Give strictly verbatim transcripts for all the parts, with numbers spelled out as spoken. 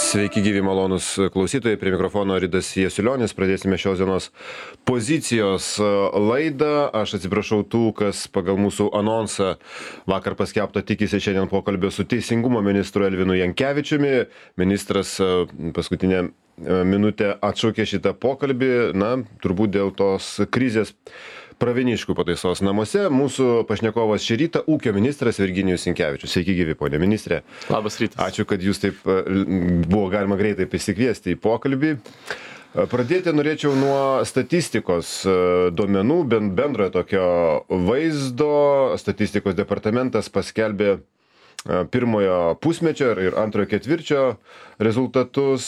Sveiki gyvi malonus klausytojai, prie mikrofono Ridas Jasiulionis. Pradėsime šios dienos pozicijos laidą. Aš atsiprašau tų, kas pagal mūsų anonsą vakar paskelbtą tikisi šiandien pokalbio su teisingumo ministru Elvinu Jankevičiumi. Ministras paskutinę minutę atšaukė šitą pokalbį, na, turbūt dėl tos krizės Pravieniškių pataisos namuose. Mūsų pašnekovas šį rytą ūkio ministras Virginijus Sinkevičius. Sveiki gyvi, ponė ministrė. Labas rytas. Ačiū, kad jūs taip buvo galima greitai prisikviesti į pokalbį. Pradėti norėčiau nuo statistikos duomenų, bendrojo tokio vaizdo. Statistikos departamentas paskelbė pirmojo pusmečio ir antrojo ketvirčio rezultatus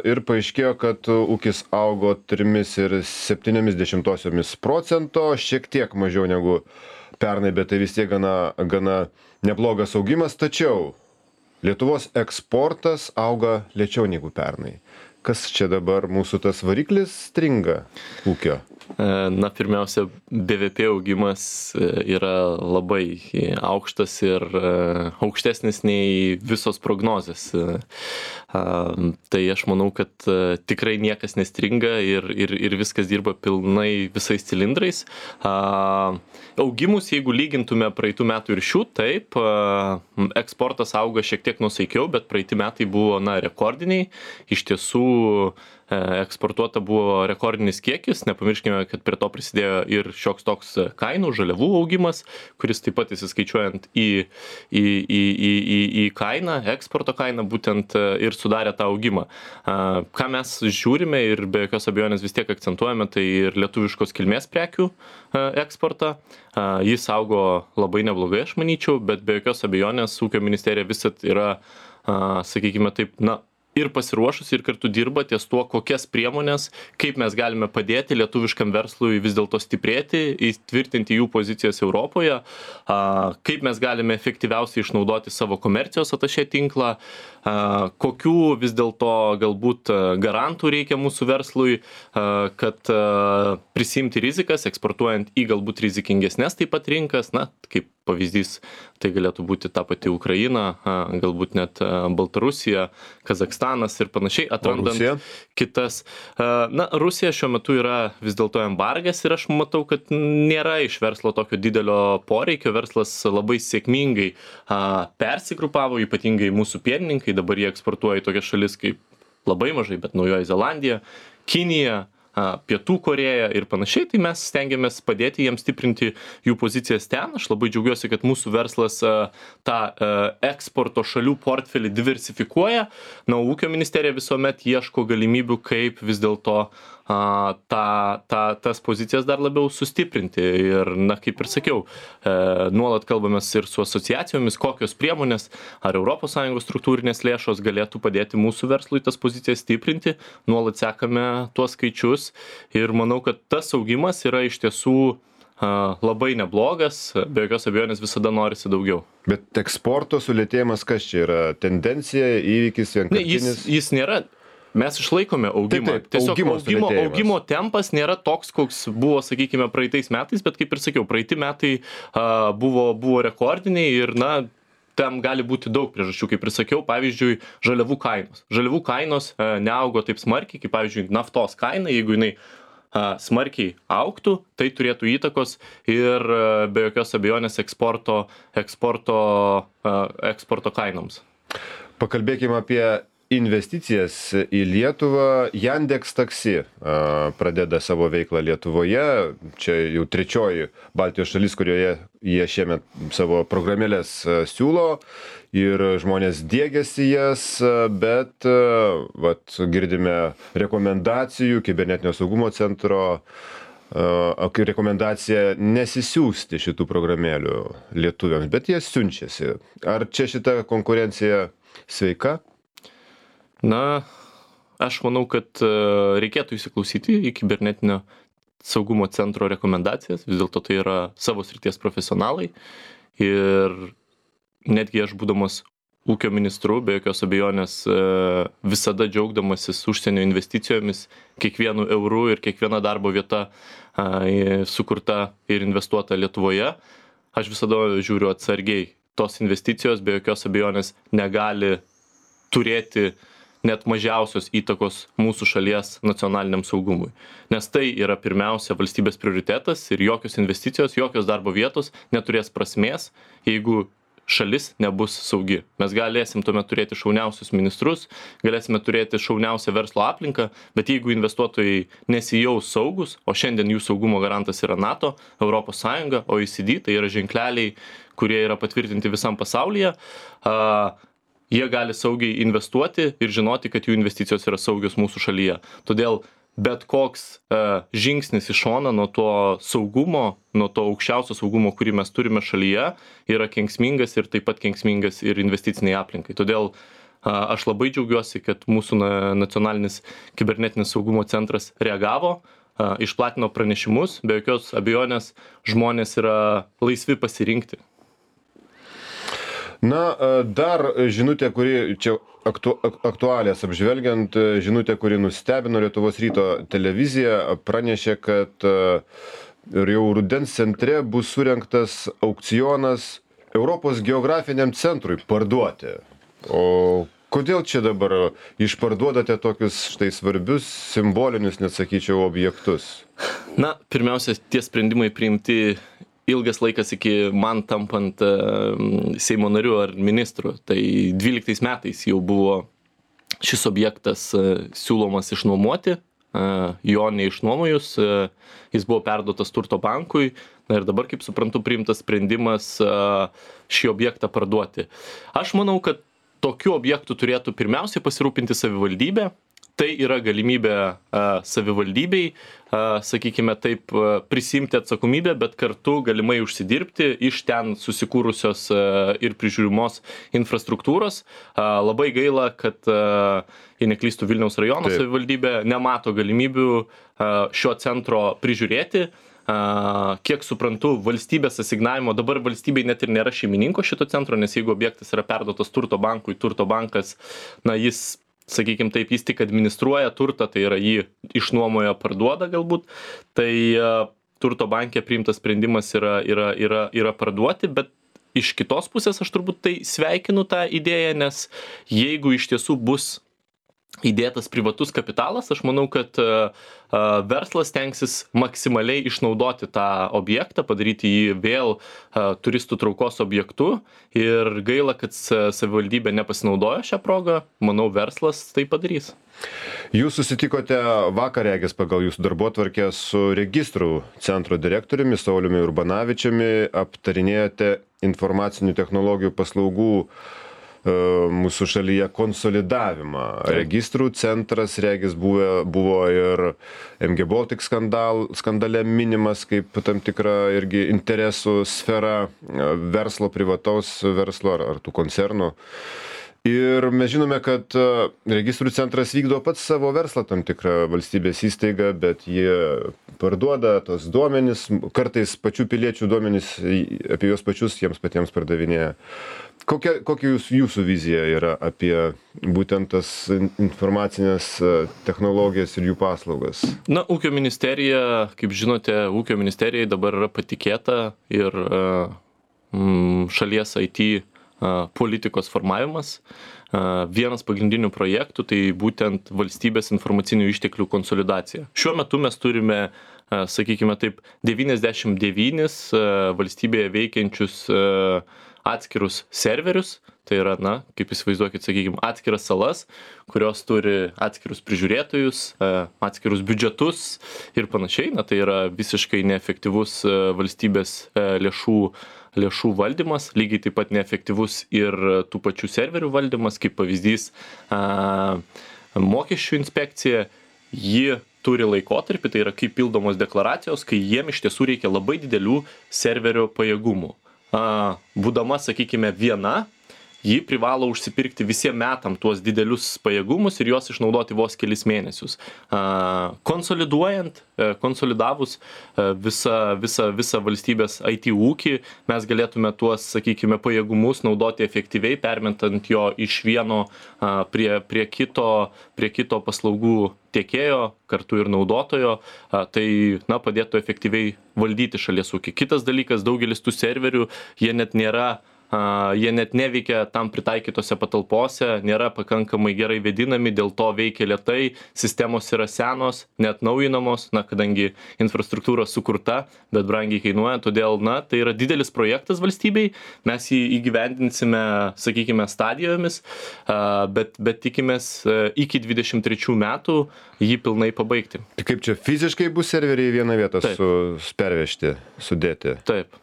ir paaiškėjo, kad ūkis augo trimis ir septyniomis dešimtosiomis procento, šiek tiek mažiau negu pernai, bet tai vis tiek gana, gana neblogas augimas, tačiau Lietuvos eksportas auga lėčiau negu pernai. Kas čia dabar mūsų tas variklis stringa ūkio? Na, pirmiausia, B V P augimas yra labai aukštas ir aukštesnis nei visos prognozės. Tai aš manau, kad tikrai niekas nestringa ir, ir, ir viskas dirba pilnai visais cilindrais. Augimus, jeigu lygintume praeitų metų ir šių, taip, eksportas auga šiek tiek nusaikiau, bet praeiti metai buvo, na, rekordiniai. Iš tiesų, eksportuota buvo rekordinis kiekis, nepamirškime, kad prie to prisidėjo ir šioks toks kainų, žaliavų augimas, kuris taip pat įsiskaičiuojant į, į, į, į, į, į kainą, eksporto kainą, būtent ir sudarė tą augimą. Ką mes žiūrime ir be jokios abejonės vis tiek akcentuojame, tai ir lietuviškos kilmės prekių eksportą. Jis augo labai neblogai, aš manyčiau, bet be jokios abejonės ūkio ministerija visat yra, sakykime taip, na, ir pasiruošusi ir kartu dirba ties tuo, kokias priemonės, kaip mes galime padėti lietuviškam verslui vis dėlto stiprėti, įtvirtinti jų pozicijas Europoje, kaip mes galime efektyviausiai išnaudoti savo komercijos atašė tinklą, kokių vis dėlto galbūt garantų reikia mūsų verslui, kad prisimti rizikas, eksportuojant į galbūt rizikingesnės taip pat rinkas, na, kaip pavyzdys, tai galėtų būti ta pati Ukraina, galbūt net Baltarusija, Kazakstanas ir panašiai, atrandant Rusija? kitas. Na, Rusija šiuo metu yra vis dėlto embargas ir aš matau, kad nėra iš verslo tokio didelio poreikio. Verslas labai sėkmingai persigrupavo, ypatingai mūsų pienininkai, dabar jie eksportuoja į tokias šalis kaip labai mažai, bet Naujoji Zelandija, Kinija, Pietų Korėja ir panašiai, tai mes stengiamės padėti jiems stiprinti jų pozicijas ten. Aš labai džiaugiuosi, kad mūsų verslas tą eksporto šalių portfelį diversifikuoja. Na, ūkio ministerija visuomet ieško galimybių, kaip vis dėlto tą, tą, tas pozicijas dar labiau sustiprinti. Ir, na, kaip ir sakiau, nuolat kalbamės ir su asociacijomis, kokios priemonės ar Europos Sąjungos struktūrinės lėšos galėtų padėti mūsų verslui tas pozicijas stiprinti. Nuolat sekame tuos skaičius. Ir manau, kad tas augimas yra iš tiesų labai neblogas, be jokios abejonės visada norisi daugiau. Bet eksporto sulėtėjimas kas čia yra? Tendencija, įvykis, vienkartinis? Ne, jis, jis nėra, mes išlaikome augimą. Taip, taip, Tiesiog augimo augimo, sulėtėjimas. augimo tempas nėra toks, koks buvo, sakykime, praeitais metais, bet kaip ir sakiau, praeiti metai a, buvo, buvo rekordiniai ir, na, tam gali būti daug priežasčių, kaip ir sakiau, pavyzdžiui, žaliavų kainos. Žaliavų kainos e, neaugo taip smarkiai, kaip pavyzdžiui, naftos kaina, jeigu jinai e, smarkiai augtų, tai turėtų įtakos ir e, be jokios abejonės eksporto, eksporto, e, eksporto kainoms. Pakalbėkime apie investicijas į Lietuvą. Yandex Taxi pradeda savo veiklą Lietuvoje. Čia jau trečioji Baltijos šalis, kurioje jie šiemet savo programėlės siūlo ir žmonės diegiasi jas, bet vat, girdime rekomendacijų kibernetinio saugumo centro, rekomendacija nesisiųsti šitų programėlių lietuviams, bet jie siunčiasi. Ar čia šita konkurencija sveika? Na, aš manau, kad reikėtų įsiklausyti į kibernetinio saugumo centro rekomendacijas. Vis dėlto tai yra savo srities profesionalai. Ir netgi aš būdamas ūkio ministru, be jokios abejonės, visada džiaugdamasis užsienio investicijomis, kiekvienu euru ir kiekviena darbo vieta sukurta ir investuota Lietuvoje, aš visada žiūriu atsargiai. Tos investicijos be jokios abejonės negali turėti net mažiausios įtakos mūsų šalies nacionaliniam saugumui. Nes tai yra pirmiausia valstybės prioritetas ir jokios investicijos, jokios darbo vietos neturės prasmės, jeigu šalis nebus saugi. Mes galėsim tuomet turėti šauniausius ministrus, galėsime turėti šauniausią verslo aplinką, bet jeigu investuotojai nesijaus saugus, o šiandien jų saugumo garantas yra NATO, Europos Sąjunga, O E C D, tai yra ženkleliai, kurie yra patvirtinti visam pasaulyje, a, jie gali saugiai investuoti ir žinoti, kad jų investicijos yra saugios mūsų šalyje. Todėl bet koks uh, žingsnis į šoną nuo to saugumo, nuo to aukščiausio saugumo, kurį mes turime šalyje, yra kenksmingas ir taip pat kenksmingas ir investiciniai aplinkai. Todėl uh, aš labai džiaugiuosi, kad mūsų na, nacionalinis kibernetinis saugumo centras reagavo, uh, išplatino pranešimus, be jokios abejonės žmonės yra laisvi pasirinkti. Na, dar žinutė, kuri čia aktu, aktualės apžvelgiant, žinutė, kuri nustebino Lietuvos ryto televizija, pranešė, kad jau rudens centre bus surengtas aukcionas Europos geografiniam centrui parduoti. O kodėl čia dabar išparduodate tokius štai svarbius, simbolinius, net sakyčiau, objektus? Na, pirmiausia, tie sprendimai priimti ilgas laikas iki man tampant uh, Seimo nariu ar ministru. Tai dvyliktais metais jau buvo šis objektas uh, siūlomas išnuomoti, uh, jo neišnuomojus, uh, jis buvo perduotas Turto bankui, na ir dabar, kaip suprantu, priimtas sprendimas uh, šį objektą parduoti. Aš manau, kad tokių objektų turėtų pirmiausiai pasirūpinti savivaldybė. Tai yra galimybė uh, savivaldybei, uh, sakykime taip, uh, prisimti atsakomybę, bet kartu galimai užsidirbti iš ten susikūrusios uh, ir prižiūrimos infrastruktūros. Uh, labai gaila, kad, uh, jei neklystų, Vilniaus rajono Taip. savivaldybė nemato galimybių uh, šio centro prižiūrėti. Uh, kiek suprantu, valstybės asignavimo, dabar valstybei net ir nėra šeimininko šito centro, nes jeigu objektas yra perduotas Turto bankui, Turto bankas, na, jis sakykime taip, jis tik administruoja turtą, tai yra jį išnuomoja, parduoda galbūt, tai uh, Turto banke priimtas sprendimas yra, yra, yra, yra parduoti, bet iš kitos pusės aš turbūt tai sveikinu tą idėją, nes jeigu iš tiesų bus įdėtas privatus kapitalas, aš manau, kad uh, verslas tenksis maksimaliai išnaudoti tą objektą, padaryti jį vėl uh, turistų traukos objektu ir gaila, kad savivaldybė nepasinaudojo šią progą, manau, verslas tai padarys. Jūs susitikote vakar, regis, pagal jūsų darbotvarkę su registrų centro direktoriumi Sauliumi Urbanavičiumi, aptarinėjate informacinių technologijų paslaugų mūsų šalyje konsolidavimą. Registrų centras, regis, buvo, buvo ir M G Baltic skandal, skandale minimas kaip tam tikra irgi interesų sfera verslo, privataus verslo ar, ar tų koncernų. Ir mes žinome, kad registrų centras vykdo pats savo verslą, tam tikrą valstybės įstaigą, bet jie parduoda tos duomenys, kartais pačių piliečių duomenys apie juos pačius jiems patiems pardavinėja. Kokia, kokia jūs, jūsų vizija yra apie būtent tas informacinės technologijas ir jų paslaugas? Na, ūkio ministerija, kaip žinote, ūkio ministerijai dabar yra patikėta ir mm, šalies I T politikos formavimas. Vienas pagrindinių projektų tai būtent valstybės informacinių išteklių konsolidacija. Šiuo metu mes turime, sakykime taip, devyniasdešimt devynis valstybėje veikiančius atskirus serverius, tai yra, na, kaip įsivaizduokit, sakykime, atskiras salas, kurios turi atskirus prižiūrėtojus, atskirus biudžetus ir panašiai. Na, tai yra visiškai neefektyvus valstybės lėšų lėšų valdymas, lygiai taip pat neefektyvus ir tų pačių serverių valdymas, kaip pavyzdys a, mokesčių inspekcija, ji turi laikotarpį, tai yra kaip pildomos deklaracijos, kai jiem iš tiesų reikia labai didelių serverio pajėgumų. A, būdama, sakykime, viena, ji privalo užsipirkti visiem metam tuos didelius pajėgumus ir juos išnaudoti vos kelis mėnesius. Konsoliduojant, konsolidavus visą, visą, visą valstybės I T ūkį, mes galėtume tuos, sakykime, pajėgumus naudoti efektyviai, permetant jo iš vieno prie, prie, kito, prie kito paslaugų tiekėjo, kartu ir naudotojo, tai, na, padėtų efektyviai valdyti šalies ūkį. Kitas dalykas, daugelis tų serverių, jie net nėra jie net neveikia tam pritaikytose patalpose, nėra pakankamai gerai vėdinami, dėl to veikia lėtai, sistemos yra senos, net naujinamos, na, kadangi infrastruktūra sukurta, bet brangiai kainuoja, todėl, na, tai yra didelis projektas valstybei, mes jį įgyvendinsime, sakykime, stadijomis, bet, bet tikimės iki dvidešimt trečių metų jį pilnai pabaigti. Tai kaip čia fiziškai bus serveriai į vieną vietą su, pervežti, sudėti? Taip.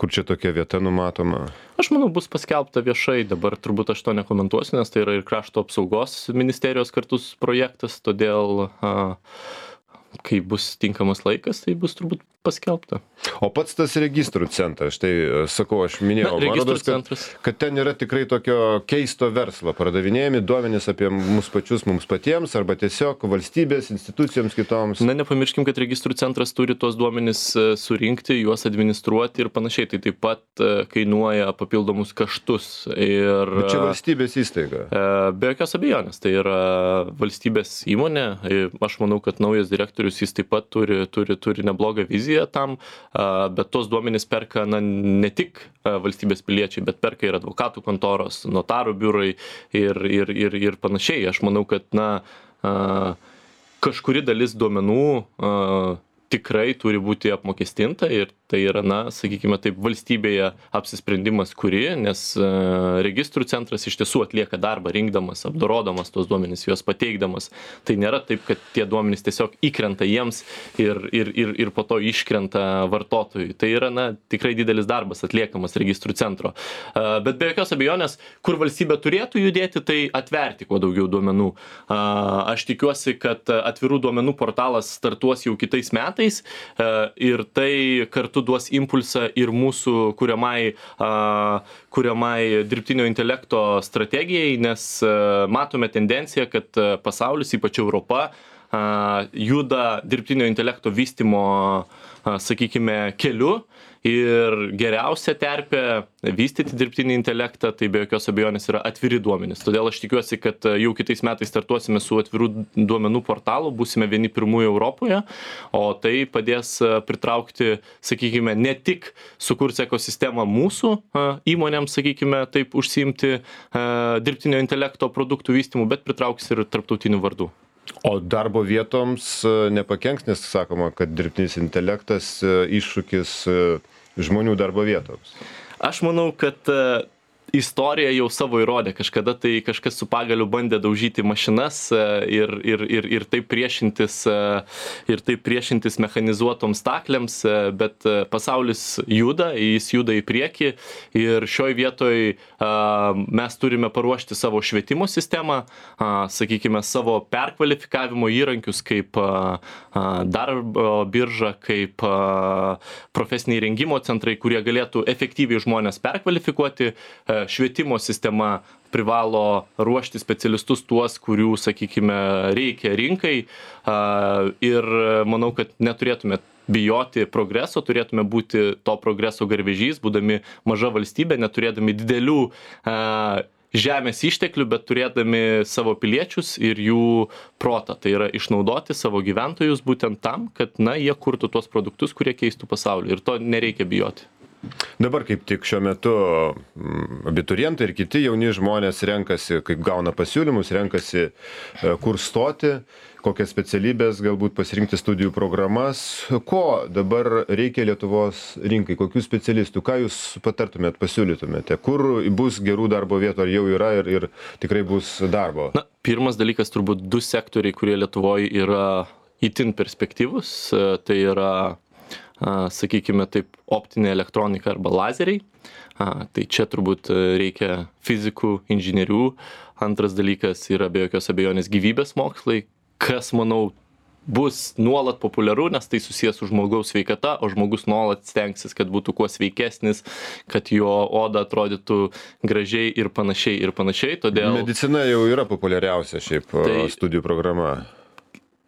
Kur čia tokia vieta numatoma? Aš manau, bus paskelbta viešai, dabar turbūt aš to nekomentuosiu, nes tai yra ir krašto apsaugos ministerijos kartus projektas, todėl a, kai bus tinkamas laikas, tai bus turbūt paskelbta. O pats tas registrų centras, štai sakau, aš minėjau, Na, man rodos, kad, kad ten yra tikrai tokio keisto verslo, pardavinėjami duomenys apie mus pačius, mums patiems, arba tiesiog valstybės, institucijoms kitoms. Na, nepamirškim, kad registrų centras turi tuos duomenys surinkti, juos administruoti ir panašiai, tai taip pat kainuoja papildomus kaštus. Ir, Bet čia valstybės įstaiga. Be jokios abejonės, tai yra valstybės įmonė, aš manau, kad naujas direktorius jis taip pat turi, turi, turi neblogą viziją tam, bet tos duomenys perka na, ne tik valstybės piliečiai, bet perka ir advokatų kontoros, notarų biurai ir, ir, ir, ir panašiai. Aš manau, kad na, kažkuri dalis duomenų tikrai turi būti apmokestinta ir tai yra, na, sakykime taip, valstybėje apsisprendimas kuri, nes registrų centras iš tiesų atlieka darbą rinkdamas, apdorodamas tos duomenys, juos pateikdamas. Tai nėra taip, kad tie duomenys tiesiog įkrenta jiems ir, ir, ir, ir po to iškrenta vartotojui. Tai yra, na, tikrai didelis darbas atliekamas registrų centro. Bet be jokios abejonės, kur valstybė turėtų judėti, tai atverti kuo daugiau duomenų. Aš tikiuosi, kad atvirų duomenų portalas startuos jau kitais metais ir tai kartu duos impulsą ir mūsų kuriamai, kuriamai dirbtinio intelekto strategijai, nes matome tendenciją, kad pasaulis, ypač Europa, juda dirbtinio intelekto vystymo, sakykime, keliu ir geriausia terpė vystyti dirbtinį intelektą, tai be jokios abejonės yra atviri duomenys. Todėl aš tikiuosi, kad jau kitais metais startuosime su atvirų duomenų portalu, būsime vieni pirmųjų Europoje, o tai padės pritraukti, sakykime, ne tik sukurs ekosistemą mūsų įmonėms, sakykime, taip užsiimti dirbtinio intelekto produktų vystymu, bet pritrauks ir tarptautinių vardų. O darbo vietoms nepakenks, nes sakoma, kad dirbtinis intelektas iššūkis žmonių darbo vietoms. Aš manau, kad istorija jau savo įrodė, kažkada tai kažkas su pagaliu bandė daužyti mašinas ir, ir, ir, ir taip priešintis, ir taip priešintis mechanizuotoms stakliams, bet pasaulis juda, jis juda į priekį ir šioj vietoj mes turime paruošti savo švietimo sistemą, sakykime, savo perkvalifikavimo įrankius kaip darbo birža, kaip profesiniai rengimo centrai, kurie galėtų efektyviai žmonės perkvalifikuoti. Švietimo sistema privalo ruošti specialistus tuos, kurių, sakykime, reikia rinkai ir manau, kad neturėtume bijoti progreso, turėtume būti to progreso garvežys, būdami maža valstybė, neturėdami didelių žemės išteklių, bet turėdami savo piliečius ir jų protą. Tai yra išnaudoti savo gyventojus būtent tam, kad na, jie kurtų tuos produktus, kurie keistų pasaulį ir to nereikia bijoti. Dabar kaip tik šiuo metu abiturientai ir kiti jauni žmonės renkasi, kaip gauna pasiūlymus, renkasi kur stoti, kokias specialybės galbūt pasirinkti studijų programas. Ko dabar reikia Lietuvos rinkai, kokių specialistų, ką jūs patartumėt, pasiūlytumėte, kur bus gerų darbo vietų, ar jau yra ir, ir tikrai bus darbo? Na, pirmas dalykas turbūt du sektoriai, kurie Lietuvoje yra itin perspektyvus, tai yra sakykime taip, optinė elektronika arba lazeriai. Tai čia turbūt reikia fizikų, inžinierių. Antras dalykas yra be jokios abejonės gyvybės mokslai, kas, manau, bus nuolat populiaru, nes tai susijęs su žmogaus sveikata, o žmogus nuolat stengsis, kad būtų kuo sveikesnis, kad jo oda atrodytų gražiai ir panašiai ir panašiai. Todėl... Medicina jau yra populiariausia šiaip tai... studijų programa.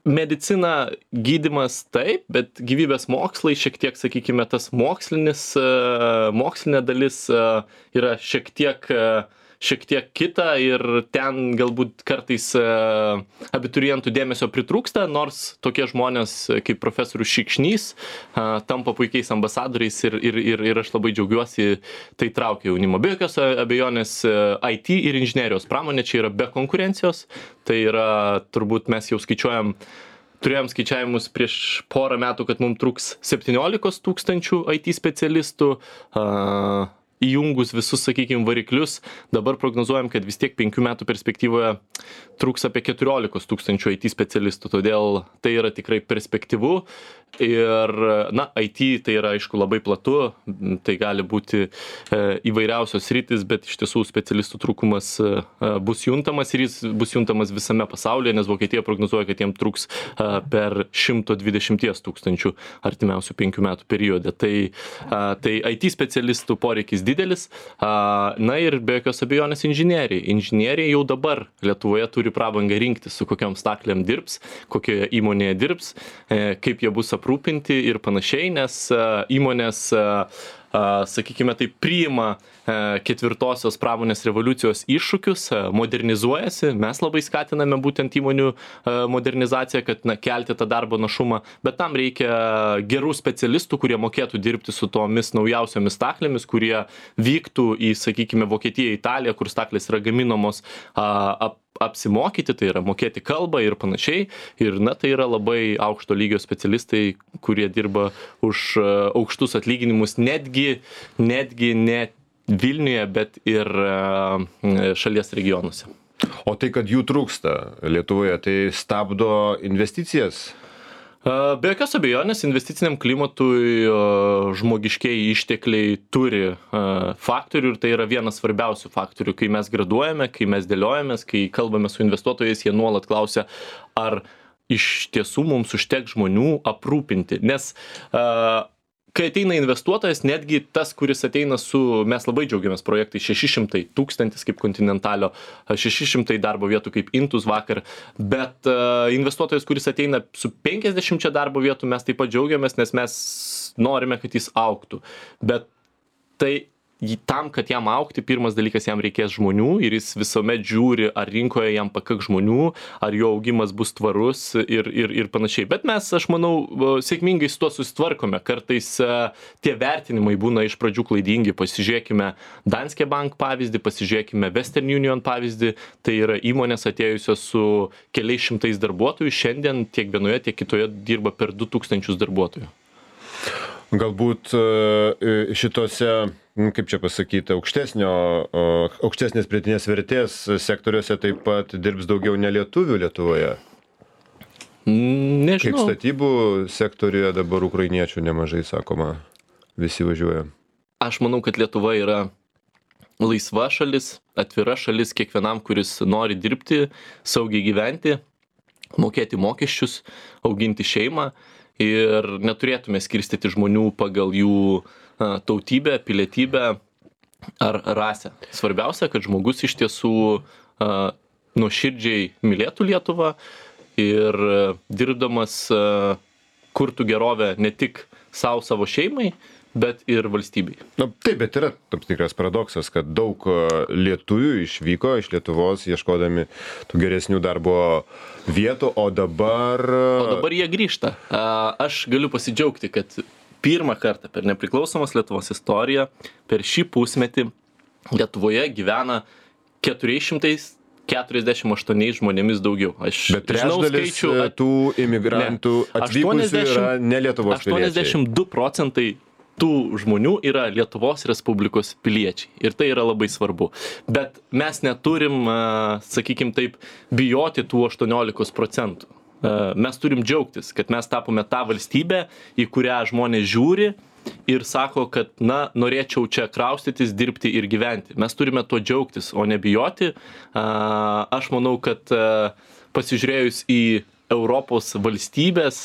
Medicina, gydymas taip, bet gyvybės mokslai šiek tiek, sakykime, tas mokslinis, mokslinė dalis yra šiek tiek, šiek tiek kita ir ten galbūt kartais abiturientų dėmesio pritrūksta, nors tokie žmonės kaip profesorius Šikšnys tampa puikiais ambasadoriais ir, ir, ir, ir aš labai džiaugiuosi, tai traukia jaunimo. Be jokios abejonės I T ir inžinerijos pramonė čia yra be konkurencijos, tai yra turbūt mes jau skaičiuojam, turėjom skaičiavimus prieš porą metų, kad mums truks septyniolika tūkstančių I T specialistų, uh, įjungus visus, sakykime, variklius, dabar prognozuojam, kad vis tiek penkių metų perspektyvoje truks apie keturiolika tūkstančių I T specialistų, todėl tai yra tikrai perspektyvu ir, na, I T tai yra, aišku, labai platu, tai gali būti e, įvairiausios rytis, bet iš tiesų specialistų trūkumas e, bus juntamas ir jis bus juntamas visame pasaulyje, nes Vokietija prognozuoja, kad jiem truks e, per šimtas dvidešimt tūkstančių artimiausių penkių metų periode. Tai, e, tai I T specialistų poreikis didelis, na ir be jokios abejonės inžinieriai. Inžinieriai jau dabar Lietuvoje turi prabangą rinktis, su kokiom staklėm dirbs, kokioje įmonėje dirbs, kaip jie bus aprūpinti ir panašiai, nes įmonės, sakykime, tai priima ketvirtosios pramonės revoliucijos iššūkius, modernizuojasi, mes labai skatiname būtent įmonių modernizaciją, kad na, kelti tą darbo našumą, bet tam reikia gerų specialistų, kurie mokėtų dirbti su tomis naujausiomis staklėmis, kurie vyktų į, sakykime, Vokietiją, Italiją, kur staklės yra gaminamos, ap, apsimokyti, tai yra mokėti kalbą ir panašiai. Ir na, tai yra labai aukšto lygio specialistai, kurie dirba už aukštus atlyginimus, netgi, netgi ne Vilniuje, bet ir šalies regionuose. O tai, kad jų trūksta Lietuvoje, tai stabdo investicijas? Be jokios abejonės, investiciniam klimatui žmogiškieji ištekliai turi faktorių ir tai yra vienas svarbiausių faktorių. Kai mes graduojame, kai mes dėliojamės, kai kalbame su investuotojais, jie nuolat klausia, ar iš tiesų mums užteks žmonių aprūpinti. Nes kai ateina investuotojas, netgi tas, kuris ateina su, mes labai džiaugiamės projektai, šeši šimtai tūkstantis kaip Continentalio, šeši šimtai darbo vietų kaip Intus vakar, bet uh, investuotojas, kuris ateina su penkiasdešimčia darbo vietų, mes taip pat džiaugiamės, nes mes norime, kad jis augtų. Bet tai tam, kad jam augti, pirmas dalykas, jam reikės žmonių ir jis visuomet žiūri, ar rinkoje jam pakaks žmonių, ar jo augimas bus tvarus ir, ir, ir panašiai. Bet mes, aš manau, sėkmingai su tuo susitvarkome. Kartais tie vertinimai būna iš pradžių klaidingi. Pasižiūrėkime Danske Bank pavyzdį, pasižiūrėkime Western Union pavyzdį. Tai yra įmonės atėjusios su keliais šimtais darbuotojų. Šiandien tiek vienoje, tiek kitoje dirba per du tūkstančius darbuotojų. Galbūt šitose, kaip čia pasakyti, aukštesnio, aukštesnės pridėtinės vertės sektoriuose taip pat dirbs daugiau nelietuvių Lietuvoje? Nežinau. Kaip statybų sektoriuje dabar ukrainiečių nemažai, sakoma, visi važiuoja. Aš manau, kad Lietuva yra laisva šalis, atvira šalis kiekvienam, kuris nori dirbti, saugiai gyventi, mokėti mokesčius, auginti šeimą. Ir neturėtume skirstyti žmonių pagal jų a, tautybę, pilietybę ar rasę. Svarbiausia, kad žmogus iš tiesų a, nuoširdžiai mylėtų Lietuvą ir a, dirbdamas a, kurtų gerovę ne tik savo, savo šeimai, bet ir valstybei. Na, taip, bet yra tam tikras paradoksas, kad daug lietuvių išvyko iš Lietuvos ieškodami tų geresnių darbo vietų, o dabar... O dabar jie grįžta. Aš galiu pasidžiaugti, kad pirmą kartą per nepriklausomos Lietuvos istoriją, per šį pusmetį Lietuvoje gyvena keturi šimtai keturiasdešimt aštuoni žmonėmis daugiau. Aš bet trečdalis skaičių, at... tų imigrantų ne, atvykusių yra ne Lietuvos piliečiai. aštuoniasdešimt du procentai tų žmonių yra Lietuvos Respublikos piliečiai. Ir tai yra labai svarbu. Bet mes neturim, sakykim taip, bijoti tų aštuoniolikos procentų. Mes turim džiaugtis, kad mes tapome tą valstybę, į kurią žmonės žiūri ir sako, kad, na, norėčiau čia kraustytis, dirbti ir gyventi. Mes turime tuo džiaugtis, o nebijoti. Aš manau, kad pasižiūrėjus į Europos valstybės,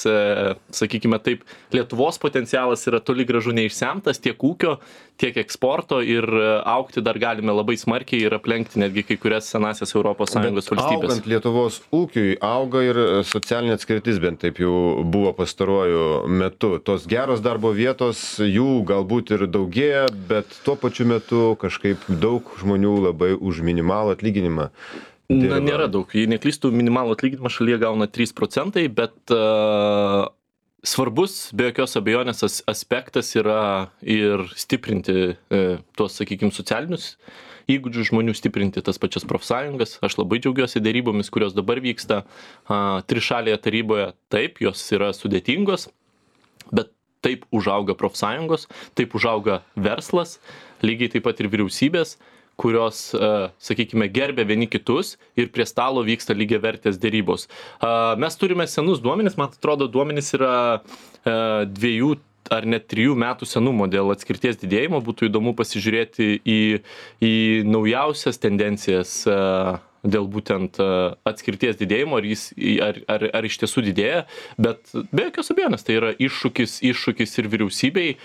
sakykime taip, Lietuvos potencialas yra toli gražu neišsemtas tiek ūkio, tiek eksporto ir augti dar galime labai smarkiai ir aplenkti netgi kai kurias senasias Europos Sąjungos valstybės. Augant Lietuvos ūkiui, auga ir socialinė atskirtis, bent taip jau buvo pastaruoju metu. Tos geros darbo vietos, jų galbūt ir daugėja, bet tuo pačiu metu kažkaip daug žmonių labai už minimalų atlyginimą dirba. Na, nėra daug. Jei neklystų, minimalų atlyginimą šalyje gauna trys procentai, bet uh, svarbus, be jokios abejonės, as, aspektas yra ir stiprinti uh, tuos, sakykime, socialinius įgūdžių žmonių, stiprinti tas pačias profsąjungas. Aš labai džiaugiuosi dėrybomis, kurios dabar vyksta uh, trišalėje taryboje. Taip, jos yra sudėtingos, bet taip užauga profsąjungos, taip užauga verslas, lygiai taip pat ir vyriausybės, kurios, sakykime, gerbia vieni kitus ir prie stalo vyksta lygiavertės dėrybos. Mes turime senus duomenis, man atrodo, duomenis yra dviejų ar net trijų metų senumo dėl atskirties didėjimo. Būtų įdomu pasižiūrėti į, į naujausias tendencijas dėl būtent atskirties didėjimo, ar, jis, ar, ar, ar iš tiesų didėja, bet be jokios abejonės tai yra iššūkis, iššūkis ir vyriausybei,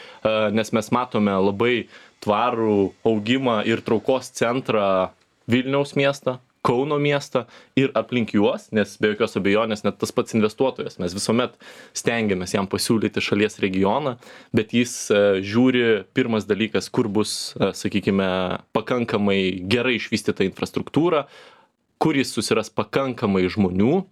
nes mes matome labai tvarų augimą ir traukos centrą Vilniaus miestą, Kauno miestą ir aplink juos, nes be jokios abejonės net tas pats investuotojas, mes visuomet stengiamės jam pasiūlyti šalies regioną, bet jis žiūri, pirmas dalykas, kur bus, sakykime, pakankamai gerai išvystyta infrastruktūra, kur jis susiras pakankamai žmonių,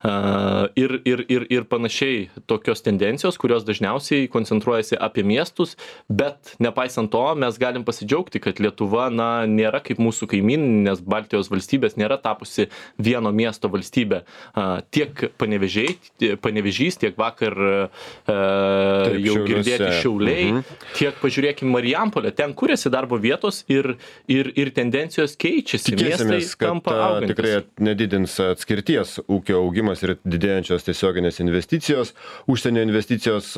Uh, ir, ir, ir, ir panašiai tokios tendencijos, kurios dažniausiai koncentruojasi apie miestus, bet nepaisant to mes galim pasidžiaugti, kad Lietuva na, nėra kaip mūsų kaimyninės Baltijos valstybės, nėra tapusi vieno miesto valstybė. Uh, tiek Panevėžiai, Panevėžys, tiek vakar uh, Taip, jau šiauliuose. Girdėti Šiauliai, mhm. tiek pažiūrėkime Marijampolę, ten kuriasi darbo vietos ir, ir, ir tendencijos keičiasi. Tikėsimės, kad tikrai nedidins atskirties ūkio augimas ir didėjančios tiesioginės investicijos, užsienio investicijos.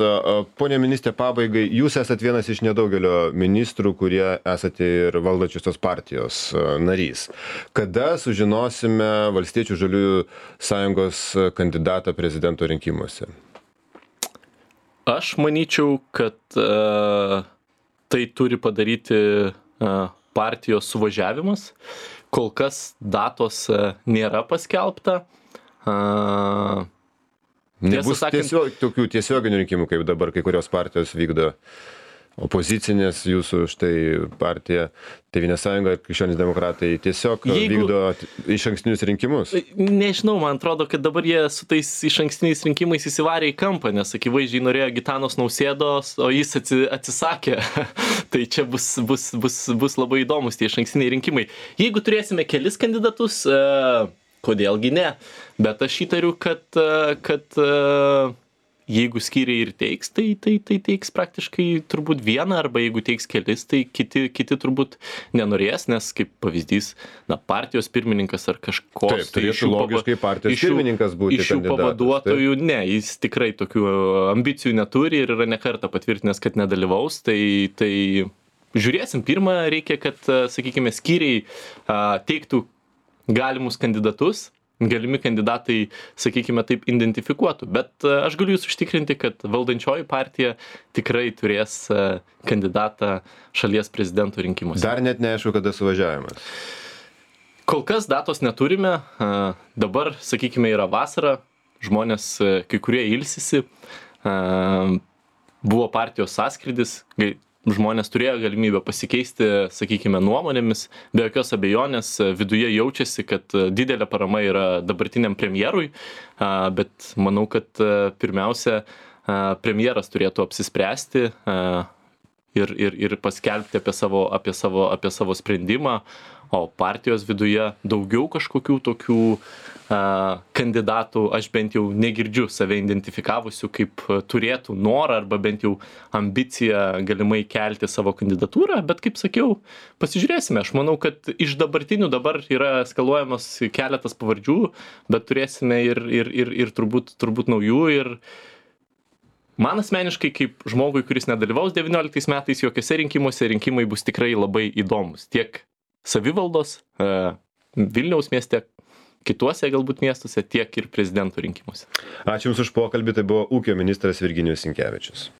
Pone ministrė, pabaigai, jūs esat vienas iš nedaugelio ministrų, kurie esate ir valdančiosios partijos narys. Kada sužinosime Valstiečių žaliųjų sąjungos kandidatą prezidento rinkimuose? Aš manyčiau, kad uh, tai turi padaryti uh, partijos suvažiavimas. Kol kas datos uh, nėra paskelbta. Uh, Nebus sakant, tiesiog, tokių tiesioginių rinkimų, kaip dabar kai kurios partijos vykdo opozicinės, jūsų štai partija, Tėvynės sąjunga ir Krikščionys demokratai tiesiog jeigu, vykdo išankstinius rinkimus. Nežinau, man atrodo, kad dabar jie su tais išankstiniais rinkimais įsivarė į kampą, nes akivaizdžiai norėjo Gitanos Nausėdos, o jis atsisakė. Tai čia bus, bus, bus, bus labai įdomus tie išankstiniai rinkimai. Jeigu turėsime kelis kandidatus, uh, kodėlgi ne, bet aš įtariu, kad, kad jeigu skyriai ir teiks, tai, tai, tai teiks praktiškai turbūt vieną, arba jeigu teiks kelis, tai kiti, kiti turbūt nenorės, nes kaip pavyzdys, na, partijos pirmininkas ar kažkoks. Taip, tai iš jų logiškai partijos iš jų, pirmininkas būti iš jų pavaduotojų, taip. Ne, jis tikrai tokių ambicijų neturi ir yra nekartą patvirtinęs, kad nedalyvaus, tai, tai žiūrėsim, pirmą reikia, kad, sakykime, skyriai teiktų galimus kandidatus, galimi kandidatai, sakykime taip, identifikuotų. Bet aš galiu jūs užtikrinti, kad valdančioji partija tikrai turės kandidatą šalies prezidento rinkimuose. Dar net neaišku, kada suvažiavimas. Kol kas datos neturime. Dabar, sakykime, yra vasara, žmonės kai kurie ilsisi. Buvo partijos sąskrydis, žmonės turėjo galimybę pasikeisti, sakykime, nuomonėmis. Be jokios abejonės viduje jaučiasi, kad didelė parama yra dabartiniam premjerui, bet manau, kad pirmiausia, premjeras turėtų apsispręsti ir, ir, ir paskelbti apie savo, apie savo, apie savo sprendimą, o partijos viduje daugiau kažkokių tokių a, kandidatų, aš bent jau negirdžiu save identifikavusių kaip turėtų norą arba bent jau ambiciją galimai kelti savo kandidatūrą, bet kaip sakiau, pasižiūrėsime. Aš manau, kad iš dabartinių dabar yra skaluojamas keletas pavardžių, bet turėsime ir, ir, ir, ir turbūt, turbūt naujų ir man asmeniškai kaip žmogui, kuris nedalyvaus devynioliktais metais jokiuose rinkimuose, rinkimai bus tikrai labai įdomus. Tiek savivaldos, Vilniaus mieste, kituose galbūt miestuose, tiek ir prezidento rinkimuose. Ačiū Jums už pokalbį, tai buvo ūkio ministras Virginijus Sinkevičius.